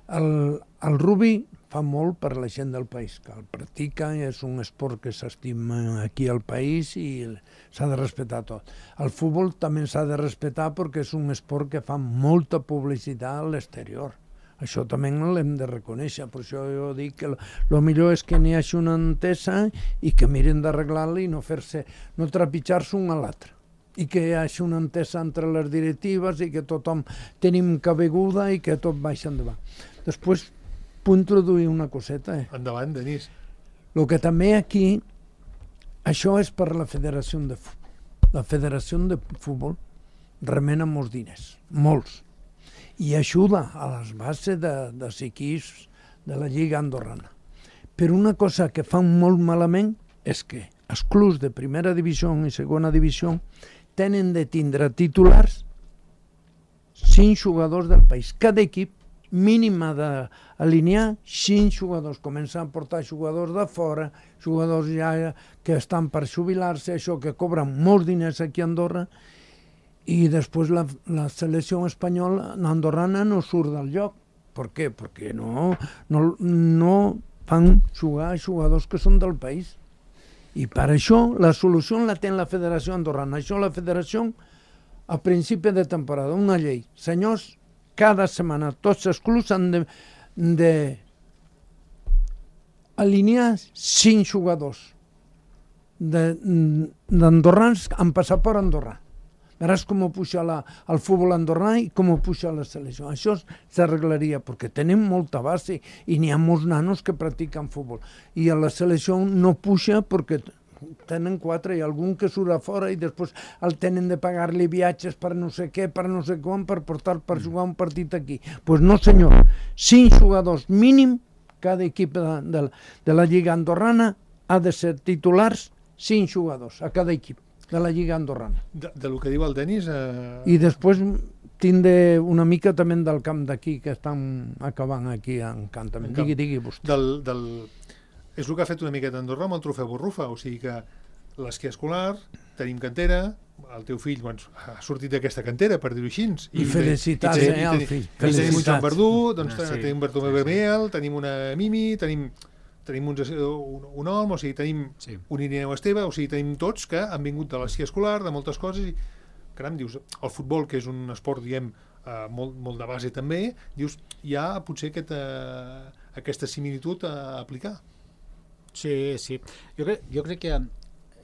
El, el rugby fa molt per la gent del país, que el practica, és un esport que s'estima aquí al país i s'ha de respectar tot. El futbol també s'ha de respectar perquè és un esport que fa molta publicitat a l'exterior. Això també l'hem de reconèixer, per això jo dic que el millor és que n'hi hagi una entesa i que miren d'arreglar-la i no fer-se, no trepitjar-se un a l'altre. I que hi hagi una entesa entre les directives i que tothom tenim cabeguda i que tot baixa endavant. Després puc introduir una coseta. Eh? Endavant, Denis. El que també aquí, això és per la Federació de Futbol. La Federació de Futbol remena molts diners, molts, i ajuda a les bases de, dels equips de la Lliga Andorrana. Però una cosa que fan molt malament és que els clubs de primera divisió i segona divisió tenen de tindre titulars cinc jugadors del país. Cada equip mínima d'alinear cinc jugadors. Comencen a portar jugadors de fora, jugadors ja que estan per jubilar-se, això que cobren molts diners aquí a Andorra, i després la, la selecció espanyola, andorrana, no surt del lloc. Per què? Perquè no, no, no fan jugar jugadors que són del país. I per això la solució la té la Federació Andorrana. Això la Federació, a principi de temporada, una llei. Senyors, cada setmana tots els clubs han de, de alinear cinc jugadors d'andorrans amb passaport andorrà. Veràs com puja la, el futbol andorrà i com puja la selecció. Això s'arreglaria perquè tenim molta base i n'hi ha molts nanos que practiquen futbol. I a la selecció no puja perquè tenen quatre i algun que surt a fora i després el tenen de pagar-li viatges per no sé què, per no sé com, per portar per jugar un partit aquí. Doncs pues no senyor, cinc jugadors mínim, cada equip de, de, de la Lliga Andorrana ha de ser titulars cinc jugadors a cada equip de la Lliga Andorrana. De, de lo que diu el Denis... Eh... I després tindre una mica també del camp d'aquí, que estan acabant aquí en camp també. Digui, digui vostè. Del, del... És el que ha fet una miqueta Andorra amb el trofeu Borrufa, o sigui que l'esquí escolar, tenim cantera, el teu fill doncs, ha sortit d'aquesta cantera, per dir-ho així. I, I felicitats, i, eh, al fill. I tenim un Joan Verdú, doncs, sí, tenim Bartomeu Vermell, tenim una Mimi, tenim... tenim un, un, un Olm, o sigui, tenim sí. un Irineu Esteve, o sigui, tenim tots que han vingut de l'esquí escolar, de moltes coses, i caram, dius, el futbol, que és un esport, diem, eh, molt, molt de base també, dius, hi ha potser aquesta, aquesta similitud a aplicar. Sí, sí. Jo crec, jo crec que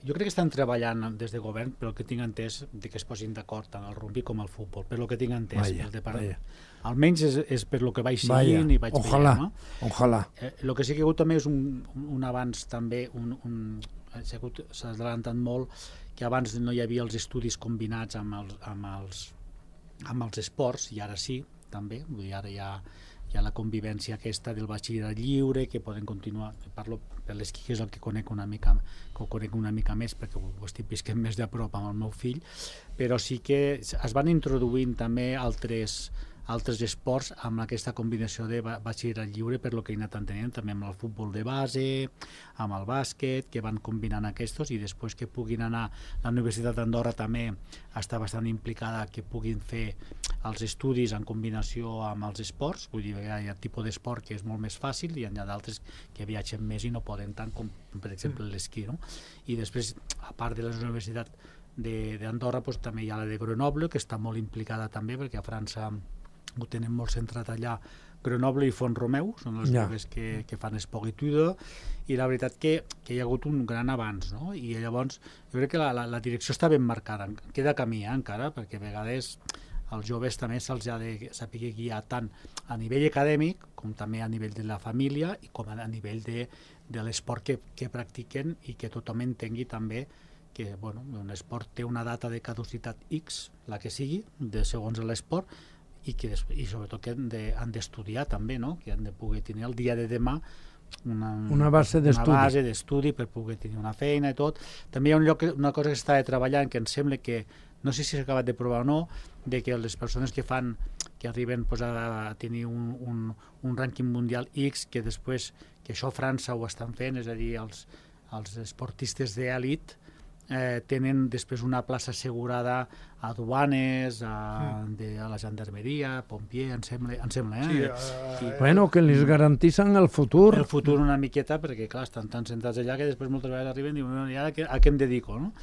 jo crec que estan treballant des de govern, però el que tinc entès de que es posin d'acord tant el rugby com el futbol, per el que tinc entès. Vaya, de part... vaya. Almenys és, és per lo que vaig seguint i vaig ojalà, veient. No? Ojalà. Eh, el que sí que ha hagut també és un, un avanç també, un, un, s'ha adelantat molt, que abans no hi havia els estudis combinats amb els, amb els, amb els esports, i ara sí, també, vull dir, ara hi ha, hi ha la convivència aquesta del batxillerat lliure, que poden continuar, parlo per l'esquí, que és el que conec una mica, que ho conec una mica més, perquè ho estic visquent més de prop amb el meu fill, però sí que es van introduint també altres altres esports amb aquesta combinació de batxillerat lliure, per lo que he anat entenent, també amb el futbol de base, amb el bàsquet, que van combinant aquests, i després que puguin anar, la Universitat d'Andorra també està bastant implicada, que puguin fer els estudis en combinació amb els esports, vull dir, hi ha tipus d'esport que és molt més fàcil, i hi ha d'altres que viatgen més i no poden tant, com per exemple l'esquí, no? I després, a part de la Universitat d'Andorra, doncs, també hi ha la de Grenoble, que està molt implicada també, perquè a França ho tenen molt centrat allà. Grenoble i Font-romeu són els ja. Clubs que, que fan Esporitude, i la veritat que, que hi ha hagut un gran avanç, no? I llavors jo crec que la, la, la direcció està ben marcada, queda camí eh, encara, perquè a vegades als joves també se'ls ha de saber guiar tant a nivell acadèmic com també a nivell de la família i com a nivell de, de l'esport que, que practiquen, i que tothom entengui també que bueno, un esport té una data de caducitat X, la que sigui, de segons l'esport, i, que, i sobretot que han d'estudiar també, no? Que han de poder tenir el dia de demà una, una base d'estudi per poder tenir una feina i tot. També hi ha un lloc, una cosa que s'està treballant, que em sembla que, no sé si s'ha acabat de provar o no, de que les persones que fan, que arriben pues, a tenir un, un, un rànquing mundial X, que després, que això a França ho estan fent, és a dir, els, els esportistes d'èlit eh, tenen després una plaça assegurada a duanes, a, de, a la gendarmeria, pompier, em sembla, em sembla eh? Sí, uh, I, bueno, que els garantissen el futur. el futur una miqueta, perquè clar, estan tan sentats allà que després moltes vegades arriben i diuen, i ara a què em dedico, no?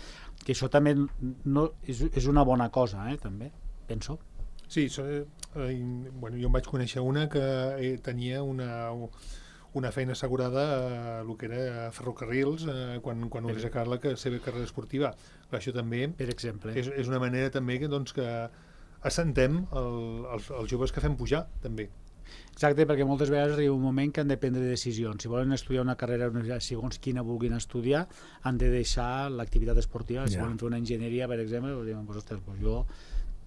Que això també no, és, és una bona cosa, eh, també, penso. Sí, so, eh, bueno, jo em vaig conèixer una que eh, tenia una... una feina assegurada a el que era a ferrocarrils eh, quan, quan hagués acabat la seva carrera esportiva. Però això també per exemple. És, és una manera també que, doncs, que assentem el, els, els joves que fem pujar, també. Exacte, perquè moltes vegades arriba un moment que han de prendre decisions. Si volen estudiar una carrera, segons quina vulguin estudiar, han de deixar l'activitat esportiva. Si yeah. volen fer una enginyeria, per exemple, diuen, pues, ostres, pues jo...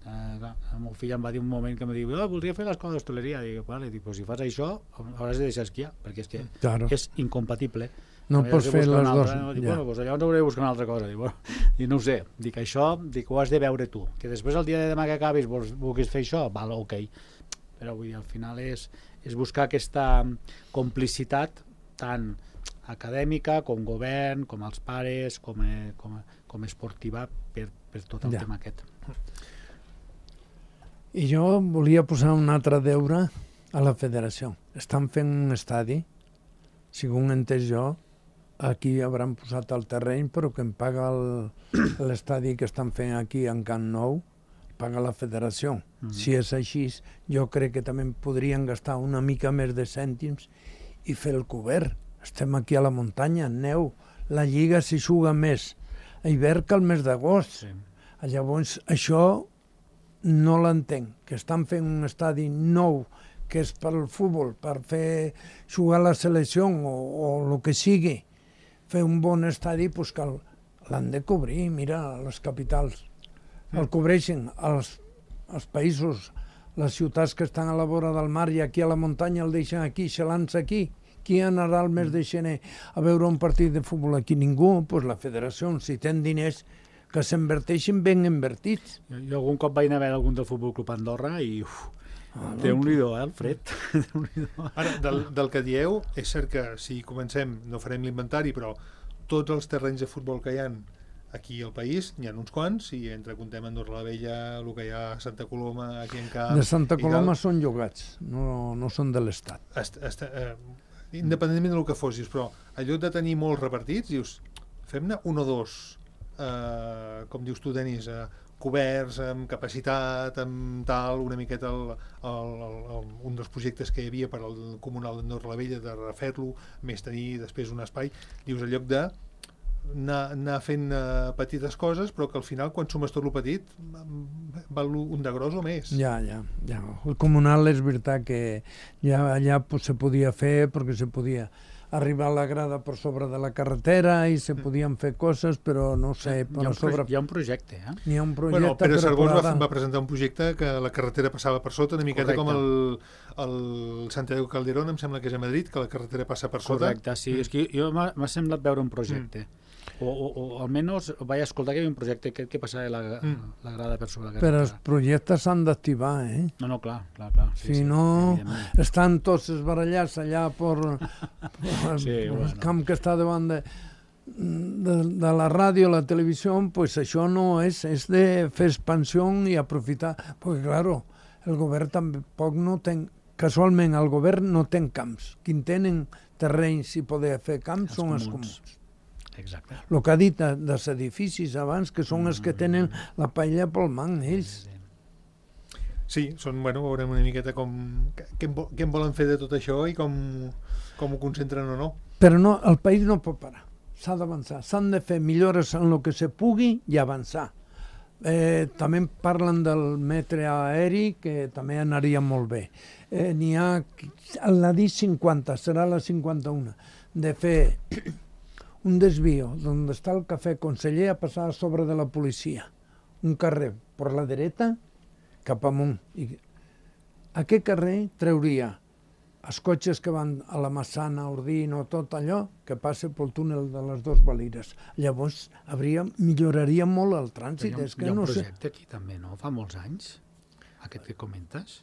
Uh, el meu fill em va dir un moment que em diu oh, voldria fer l'escola d'hostaleria, dic, vale, dic, pues si fas això hauràs de deixar esquiar perquè és que claro. és incompatible, no pots fer les dues. Dic, bueno, pues llavors hauré de buscar una altra cosa, dic, bueno, dic, no ho sé, dic, això dic, ho has de veure tu, que després el dia de demà que acabis vulguis fer això, val, ok, però vull dir, al final és, és buscar aquesta complicitat tant acadèmica com govern, com els pares, com, com, com esportiva per, per tot el ja. tema aquest. I jo volia posar un altre deure a la federació. Estan fent un estadi, segons entès jo, aquí hauran posat el terreny, però que em paga l'estadi que estan fent aquí en Camp Nou, paga la federació. Mm-hmm. Si és així, jo crec que també podrien gastar una mica més de cèntims i fer el cobert. Estem aquí a la muntanya, en neu, la lliga s'hi juga més a hivern que al mes d'agost. Sí. Llavors, això no l'entenc, que estan fent un estadi nou que és per al futbol, per fer jugar la selecció o, o el que sigui, fer un bon estadi, pues que l'han de cobrir, mira, les capitals el cobreixen, els, els països, les ciutats que estan a la vora del mar i aquí a la muntanya el deixen aquí, xalants aquí. Qui anarà al mes de gener a veure un partit de futbol aquí? Ningú, pues la federació, si ten diners, que s'inverteixin ben invertits. Jo, jo algun cop vaig anar a veure algun del Futbol Club Andorra i uf, ah, no, Déu-n'hi-do, eh, el fred. Ara, del, del que dieu, és cert que si comencem, no farem l'inventari, però tots els terrenys de futbol que hi ha aquí al país, n'hi ha uns quants, i entre contem Andorra la Vella, el que hi ha a Santa Coloma, aquí en Camp... De Santa Coloma són llogats, no, no són de l'Estat. Est, est, eh, independentment del que fossis, però en lloc de tenir molts repartits, dius, fem-ne un o dos... Uh, com dius tu, Denis, uh, coberts, amb capacitat, amb tal, una miqueta el, el, el, el, un dels projectes que hi havia per al Comunal d'Andorra la Vella, de refer-lo, més tenir després un espai, dius, en lloc de anar, anar fent uh, petites coses, però que al final, quan sumes tot el petit, val un de gros o més. Ja, ja, ja. El Comunal és veritat que ja allà pues, se podia fer, perquè se podia arribar a la grada per sobre de la carretera i se podien fer coses, però no sé... Hi ha un, sobre... hi ha un projecte, eh? Hi ha un projecte, bueno, Pere Carbós va, va presentar un projecte que la carretera passava per sota, una miqueta Correcte. com el, el Santiago Calderón, em sembla que és a Madrid, que la carretera passa per sota. Correcte, sí. Mm. És que jo m'ha semblat veure un projecte. Mm. O, o, o almenys vaig escoltar que hi havia un projecte que, que passava la, mm. la grada per sobre la carretera. Però els projectes s'han d'activar, eh? No, no, clar, clar, clar. Sí, si sí, no, estan tots esbarallats allà per, per sí, el bueno. camp que està davant de, de, de la ràdio, la televisió, pues això no és, és de fer expansió i aprofitar, perquè, claro, el govern tampoc no ten, casualment el govern no té camps. Qui tenen terrenys i poder fer camps els són comuns. els comuns. Exacte. El que ha dit de, dels edificis abans, que són els que tenen la paella pel man, ells. Sí, són, bueno, veurem una miqueta com, què, què en volen fer de tot això i com, com ho concentren o no. Però no, el país no pot parar, s'ha d'avançar, s'han de fer millores en el que se pugui i avançar. Eh, també parlen del metre aeri, que també anaria molt bé. Eh, n'hi ha, la D cinquanta, serà la cinquanta-una, de fer un desvío d'on està el cafè conseller a passar a sobre de la policia. Un carrer per la dreta cap amunt. I aquest carrer trauria els cotxes que van a la Massana, Ordino, tot allò que passa pel túnel de les dues Valires. Llavors hauria, milloraria molt el trànsit. Hi ha, és que hi ha un no projecte sé. aquí també, no? Fa molts anys, aquest que comentes.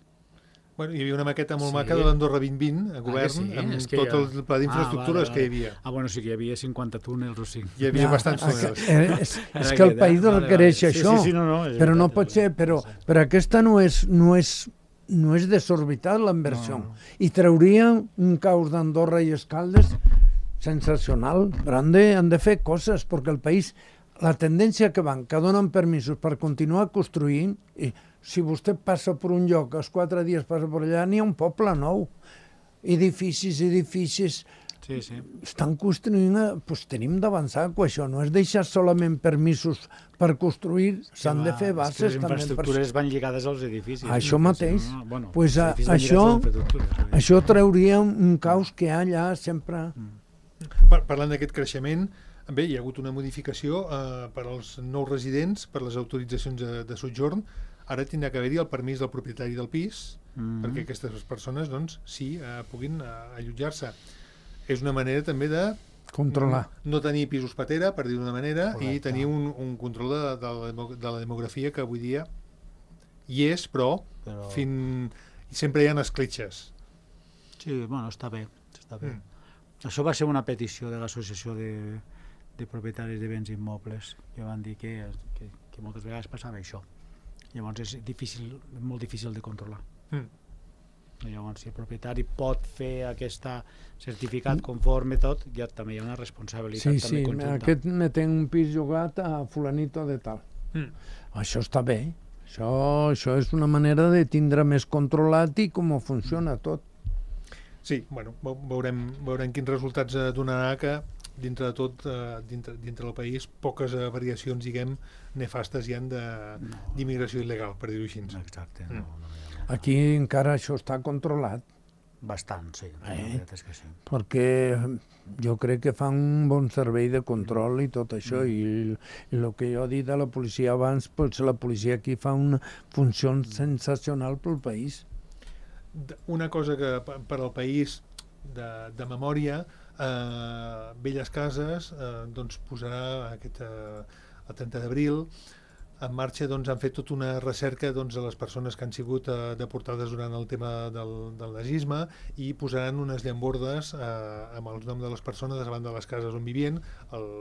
Bueno, hi havia una maqueta molt sí. maca de l'Andorra vint vint a govern, ah, sí? amb és tot ja... el pla d'infraestructures ah, vale, vale. que hi havia. Ah, bueno, sí que hi havia cinquanta túnels o cinc. Hi havia ja, bastants túnels. Eh, és, és que el país vale, requereix vale. això, sí, sí, sí, no, no, però no pot ser, però, però aquesta no és, no és, no és desorbitat la inversió. No. I trauria un caos d'Andorra i Escaldes sensacional, però han de, han de fer coses, perquè el país, la tendència que van, que donen permisos per continuar construint, i si vostè passa per un lloc, els quatre dies passa per allà, n'hi ha un poble nou. Edificis, edificis... Sí, sí. Estan construint... Doncs tenim d'avançar amb això. No és deixar solament permisos per construir, s'han de fer bases també. Les infraestructures van lligades als edificis. Això mateix. No, no, bueno, pues a, això, això trauria un caos que hi ha allà sempre... Mm. Parlant d'aquest creixement, bé, hi ha hagut una modificació eh, per als nous residents, per les autoritzacions de, de sojorn. Ara tindrà que haver-hi el permís del propietari del pis mm-hmm. perquè aquestes persones doncs, sí, eh, puguin eh, allotjar-se. És una manera també de controlar. No, no tenir pisos patera, per dir d'una manera, correcte. I tenir un, un control de, de, la, de la demografia que avui dia hi és, però, però... Fin... sempre hi ha escletxes. Sí, bueno, està bé. Està bé. Mm. Això va ser una petició de l'associació de, de propietaris de béns immobles, que van dir que, que, que moltes vegades passava això. Llavors és difícil, molt difícil de controlar. Mm. Llavors, si el propietari pot fer aquest certificat conforme tot, ja també hi ha una responsabilitat sí, també sí, conjunta. Aquest me té un pis llogat a fulanito de tal. Mm. Això està bé. Això, això és una manera de tindre més controlat i com funciona tot. Sí, bueno, veurem, veurem quins resultats donarà que dintre de tot, eh, dintre, dintre del país, poques eh, variacions, diguem, nefastes hi han d'immigració no. il·legal, per dir-ho així. Exacte. No, mm. no, no. Aquí encara això està controlat. Bastant, sí. Eh? La veritat és que sí. Perquè jo crec que fan un bon servei de control i tot això, mm. i, i el que jo he dit de la policia abans, pues la policia aquí fa una funció sensacional pel país. Una cosa que per al país de, de memòria, Uh, Belles Cases uh, doncs posarà aquest, uh, el trenta d'abril en marxa, doncs han fet tota una recerca doncs, de les persones que han sigut uh, deportades durant el tema del, del nazisme i posaran unes llambordes uh, amb els noms de les persones davant de les cases on vivien. El,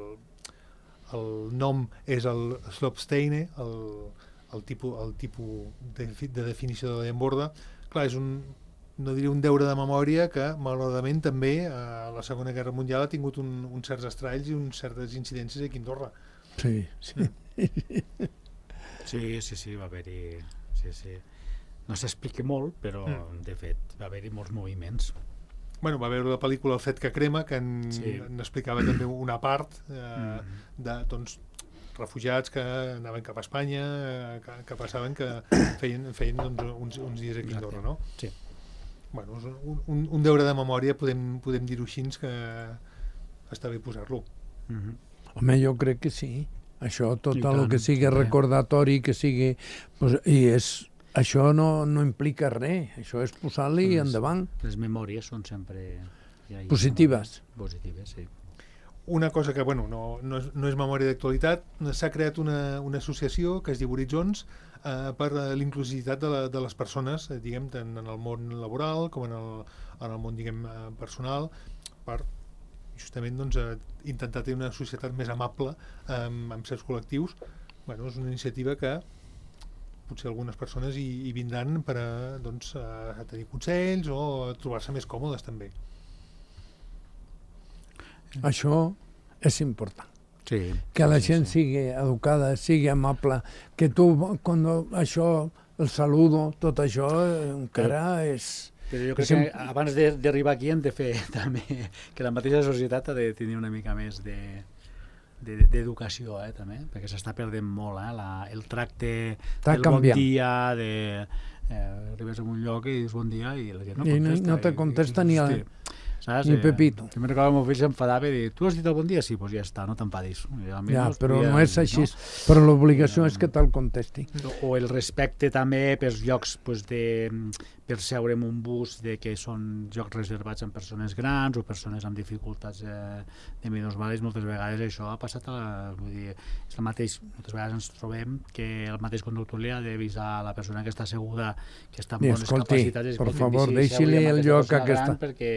el nom és el Slopsteine, el, el tipus, el tipus de, de definició de la llamborda. Clar, és un no diria un deure de memòria que, malauradament, també a la Segona Guerra Mundial ha tingut un, uns certs estralls i uns certes incidències aquí a Andorra. Sí, sí. Sí, sí, sí, va haver-hi... Sí, sí. No s'explica molt, però, mm. de fet, va haver-hi molts moviments. Bueno, va veure la pel·lícula El fet que crema, que en, sí. en explicava també una part eh, mm. de, doncs, refugiats que anaven cap a Espanya, eh, que, que passaven que feien, feien doncs, uns, uns dies aquí a Andorra, no? Sí. Bueno, és un, un, un deure de memòria, podem, podem dir-ho així, que està bé posar-lo. Mm-hmm. Home, jo crec que sí. Això, tot el que sigui recordatori, que sigui... Pues, i és, això no, no implica res, això és posar-li les, endavant. Les memòries són sempre... Ja positives. Positives, sí. Una cosa que, bueno, no, no, és, no és memòria d'actualitat, s'ha creat una, una associació que es diu Horitzons eh, per l'inclusivitat de, la, de les persones, eh, diguem, tant en el món laboral com en el, en el món, diguem, personal, per justament doncs, eh, intentar tenir una societat més amable eh, amb certs col·lectius. Bueno, és una iniciativa que potser algunes persones hi, hi vindran per a, doncs, a tenir consells o a trobar-se més còmodes també. Això és important. Sí, que la sí, gent sí. sigui educada, sigui amable, que tu, quan això, el saludo, tot això encara però, és... Però jo crec que, que abans d'arribar aquí hem de fer també que la mateixa societat ha de tenir una mica més de d'educació, eh, també, perquè s'està perdent molt, eh, la, el tracte Està del canviant. Bon dia, de... Eh, arribes a un lloc i dius bon dia i la gent no I contesta. no te contesta ni... I, A... hosti, saps? Ni Pepito. Jo me'n recordo que el meu fill s'enfadava i dir, tu has dit el bon dia? Sí, doncs ja està, no t'enfadis. Ja, però no és així. Però l'obligació és que te'l contesti. O el respecte també pels llocs pues, de, per seure en un bus de que són llocs reservats amb persones grans o persones amb dificultats eh, de minusvàlids. Moltes vegades això ha passat a la, vull dir, és el mateix, moltes vegades ens trobem que el mateix conductor li ha d'avisar a la persona que està asseguda que està amb bones escolti, capacitats. Per favor, deixi-li el lloc a aquesta... Perquè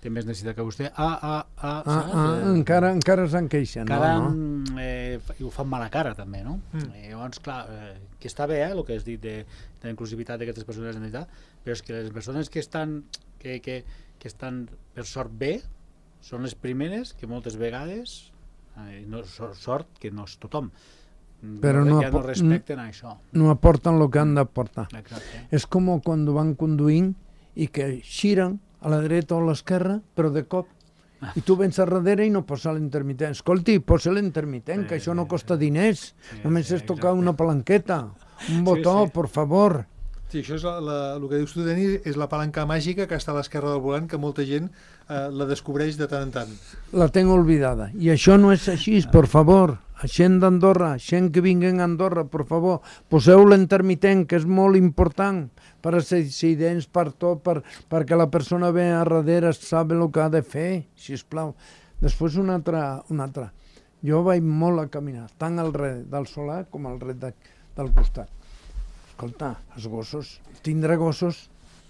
té més necessitat que vostè. Ah, ah, ah, ah, ah encara, encara se'n queixen. Encara no, no? Eh, ho fan mala cara, també, no? Mm. Eh, llavors, clar, eh, que està bé, eh, el que has dit de, de la inclusivitat d'aquestes persones en entitat, però és que les persones que estan, que, que, que estan per sort bé són les primeres que moltes vegades, eh, no, sort que no és tothom, però no, ja no respecten això. No aporten el que han d'aportar. Exacte. És com quan van conduint i que xiren a la dreta o a l'esquerra, però de cop. I tu vens a darrere i no posa l'intermitent. Escolti, posa l'intermitent, sí, que això no costa diners. Sí, només sí, és tocar exacte. Una palanqueta, un botó, sí, sí. Por favor. Sí, això és la, la, el que dius tu, Denis, és la palanca màgica que està a l'esquerra del volant, que molta gent eh, la descobreix de tant en tant. La tenc oblidada. I això no és així, per favor. Gent d'Andorra, gent que vinguen a Andorra, per favor, poseu l'intermitent, que és molt important per als accidents, per tot, per, perquè la persona ve a darrere, sap el que ha de fer, sisplau. Després una altra, una altra. Jo vaig molt a caminar, tant al red del solar com al red de, del costat. Escolta, els gossos, tindre gossos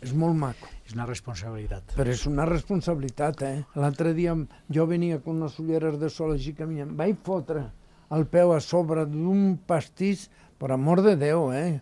és molt maco. És una responsabilitat. Però és una responsabilitat, eh? L'altre dia jo venia amb unes ulleres de sol així caminant, vaig fotre el peu a sobre d'un pastís, per amor de Déu, eh?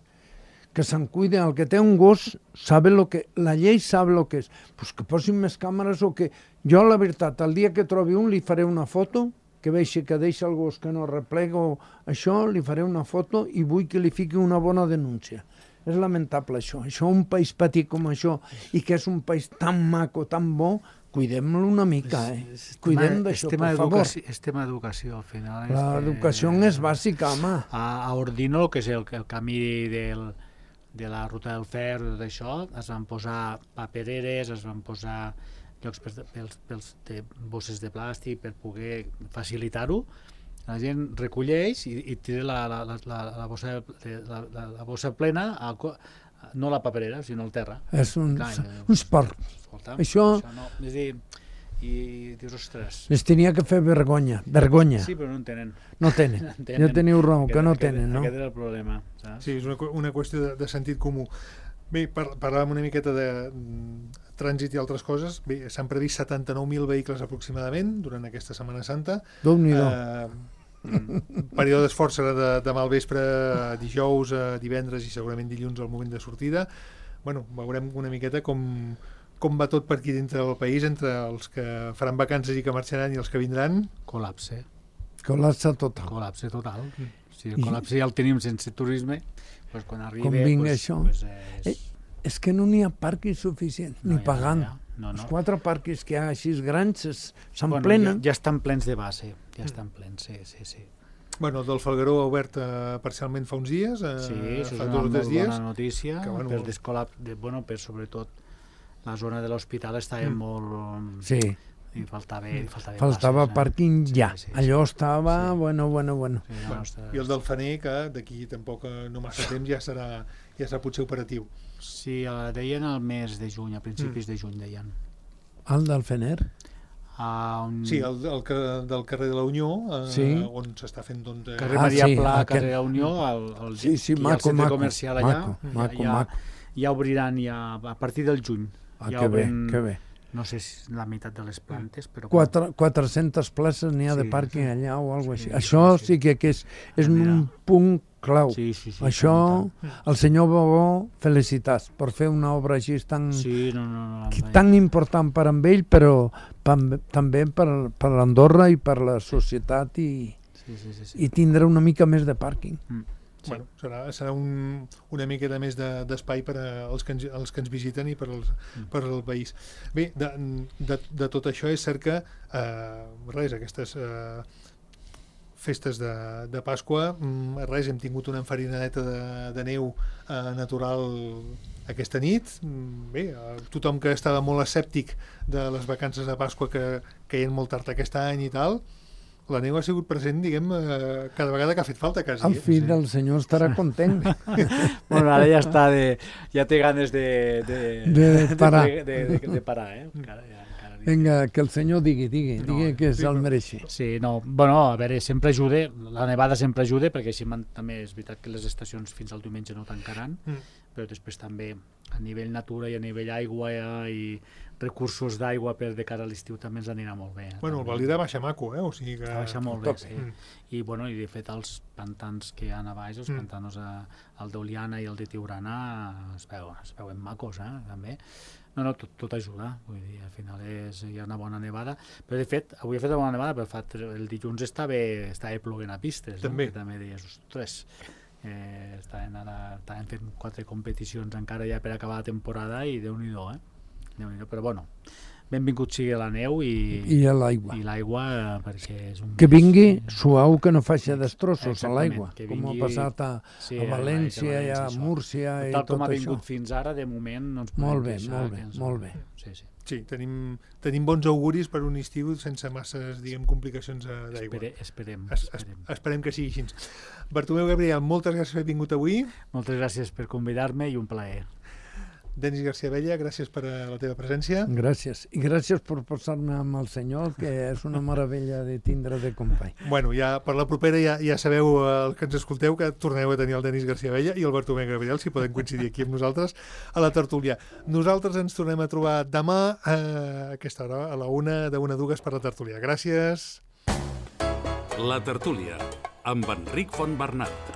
Que se'n cuide, el que té un gos sabe lo que, la llei sabe el que és, pues que posin més càmeres o que... Jo, la veritat, el dia que trobi un li faré una foto, que vegi que deixa el gos que no replega o això, li faré una foto i vull que li fiqui una bona denúncia. És lamentable això, això un país petit com això i que és un país tan maco, tan bo, cuidem-lo una mica, eh? Cuidem d'això, per favor. És tema d'educació, al final. L'educació és bàsica, home. A, a Ordino, que és el, el camí del, de la ruta del Fer, tot això, es van posar papereres, es van posar llocs per, pels, pels de bosses de plàstic per poder facilitar-ho. La gent recolleix i, i tira la, la, la, la, la, bossa, la, la, la bossa plena, a, no la paperera, sinó el terra. És un, Clar, un esport. Escolta, això... això no, és dir, i dius, ostres... Les tenia que fer vergonya, vergonya. Sí, però no en tenen. No tenen, no tenen. Ja teniu raó, que no aquest, tenen, no? Aquest era el problema, saps? Sí, és una, una qüestió de, de sentit comú. Bé, par, parlàvem una miqueta de mm, trànsit i altres coses. Bé, s'han previst setanta-nou mil vehicles aproximadament durant aquesta Setmana Santa. Déu-n'hi-do. Eh, Mm. períodes força de, de malvespre, dijous, divendres i segurament dilluns al moment de sortida. Bueno, veurem una miqueta com, com va tot per aquí dintre del país, entre els que faran vacances i que marxaran i els que vindran. Col·lapse. Col·lapse total. Col·lapse total. Si el col·lapse ja el tenim sense turisme, doncs quan arribi... Com vingui pues, això. Pues és... Eh, és que no n'hi ha parquis suficients, no, ni pagant. Ja, ja. No, no. Els quatre parquis que hi ha així grans s'emplenen. Bueno, ja, ja estan plens de base, ja estan plens, sí, sí, sí. Bueno, el del Falgueró ha obert eh, parcialment fa uns dies, eh, sí, això fa és dos o tres dies. Bona notícia, que, bueno, per descolap, de, bueno, per sobretot la zona de l'hospital estava mm. molt... Sí. I faltava, i faltava, faltava passes, pàrquing eh? ja, sí, sí, allò sí. estava, sí. bueno, bueno, bueno. Sí, no, bueno està... I el del Faner, que d'aquí tampoc no massa temps ja serà, ja serà potser operatiu. Sí, deien al mes de juny, a principis mm. de juny deien. El del Fener? Uh, un... Sí, el, el, el del carrer de la Unió, eh, sí. on s'està fent... Doncs, eh... Carrer ah, Maria sí, Pla, aquest... carrer la Unió, el, el, sí, sí, maco, el centre maco, comercial allà, maco, maco, ja, maco. ja obriran ja, a partir del juny. Ah, ja que bé, obren, que bé. No sé si la meitat de les plantes, però... Quatre, quatre-centes places n'hi ha sí, de pàrquing sí. allà o alguna cosa Sí, així. Això sí, sí que, que és, és un punt clau. Sí, sí, sí, Això, el senyor Bobó, felicitats per fer una obra així tan, sí, no, no, no, no, tan important per amb ell, però també per, per Andorra i per la societat i, sí, sí, sí, sí. i tindre una mica més de pàrquing. Mm. Sí. Bueno, serà, serà un, una miqueta més d'espai de, per als que, ens, als que ens visiten i per, als, mm. per al país. Bé, de, de, de tot això és cert que eh, res, aquestes eh, festes de, de Pasqua, res, hem tingut una enfarinadeta de, de neu eh, natural aquesta nit, bé, tothom que estava molt escèptic de les vacances de Pasqua que caien molt tard aquest any i tal, la neu ha sigut present, diguem, eh, cada vegada que ha fet falta, quasi. El fill del senyor estarà content. Bueno, ara ja està de... ja té ganes de... de, de parar. De, de, de, de parar, eh? Encara, ja, encara Vinga, que el senyor digui, digui, no, digui que se'l mereixi. Sí, no, bueno, a veure, sempre ajuda, la nevada sempre ajuda, perquè així també és veritat que les estacions fins al diumenge no tancaran, mm. però després també a nivell natura i a nivell aigua i recursos d'aigua per de cara a l'estiu també ens anirà molt bé. Eh? Bueno, el Valira baixa maco, eh? O sigui que... Baixa molt bé, sí. Mm. I, bueno, i de fet els pantans que hi ha a baix, els mm. pantanos, a, el d'Oliana i el de Tiurana, es, veu, es veuen macos, eh? També. No, no, tot, tot ajuda, vull dir, al final és, hi ha una bona nevada, però de fet, avui he fet una bona nevada, però fa, el dilluns estava, estava ploguent a pistes, també. No? Que també deies, ostres, eh, estaven, ara, estaven fent quatre competicions encara ja per acabar la temporada i Déu-n'hi-do, eh? Déu-n'hi-do, però bueno, benvingut sigui la neu i, I l'aigua. I l'aigua, perquè és un... Que vingui suau, que no faci destrossos a l'aigua, com ha passat a, sí, a València i a Múrcia i tot això. Tal com ha vingut fins ara, de moment no ens podem molt bé, queixar. Molt bé, ens... molt bé. Sí, sí. Sí, tenim, tenim bons auguris per un estiu sense masses, diguem, complicacions d'aigua. Espere, esperem, es, esperem. Es, esperem que sigui així. Bartomeu Gabriel, moltes gràcies per haver vingut avui. Moltes gràcies per convidar-me i un plaer. Denis García Abella, gràcies per la teva presència. Gràcies. I gràcies per posar-me amb el senyor, que és una meravella de tindre de company. Bueno, ja per la propera ja, ja sabeu el que ens escolteu, que torneu a tenir el Denis García Abella i el Bartomeu Gabriel, si poden coincidir aquí amb nosaltres a la tertúlia. Nosaltres ens tornem a trobar demà a aquesta hora, a la una, de una a dues per la tertúlia. Gràcies. La tertúlia, amb Enric Fontbernat.